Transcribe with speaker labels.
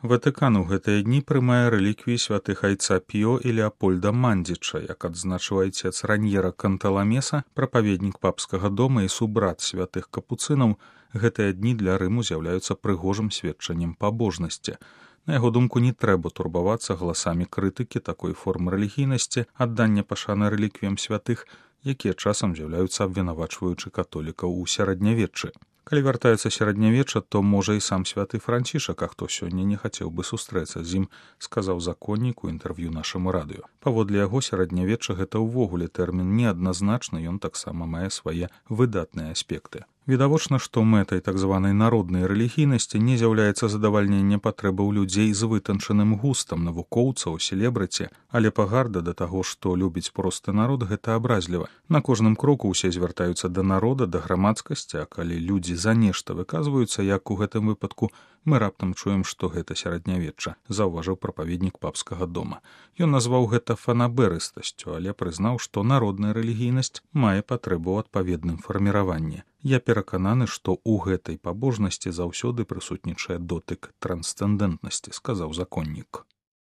Speaker 1: Ватыкан у гэтыя дні прымае рэліквіі святых айца Піо і Леапольда Мандзіча, як адзначыў айцец Раньера Канталамеса, прапаведнік папскага дома і субрат святых капуцынаў, гэтыя дні для Рыму з'яўляюцца прыгожым сведчаннем пабожнасці. На яго думку, не трэба турбавацца галасамі крытыкі такой формы рэлігійнасці, аддання пашаны рэліквіям святых, якія часам з'яўляюцца абвінавачваючы католікаў у сярэднявеччы. Калі вяртаецца сярэднявечча, то можа і сам святы Францішак, а хто сёння не хацеў бы сустрэцца з ім, сказаў законнік у інтэрв'ю нашаму радыё. Паводле яго, сярэднявечча гэта ўвогуле тэрмін неадназначны, ён таксама мае свае выдатныя аспекты. Відавочна, што мэтай так званай народнай рэлігійнасці не з'яўляецца задавальненне патрэбаў людзей з вытанчаным густам, навукоўцаў, селебрыці, але пагарда да таго, што любіць просты народ, гэта абразліва. На кожным кроку ўсе звяртаюцца да народа, да грамадскасці, а калі людзі за нешта выказваюцца, як у гэтым выпадку, мы раптам чуем, што гэта сярэднявечча, заўважыў прапаведнік папскага дома. Ён назваў гэта фанаберыстасцю, але прызнаў, што народная рэлігійнасць мае патрэбу ў адпаведным фарміраванні. Я перакананы, што ў гэтай пабожнасці заўсёды прысутнічае дотык трансцэндэнтнасці, сказаў законнік.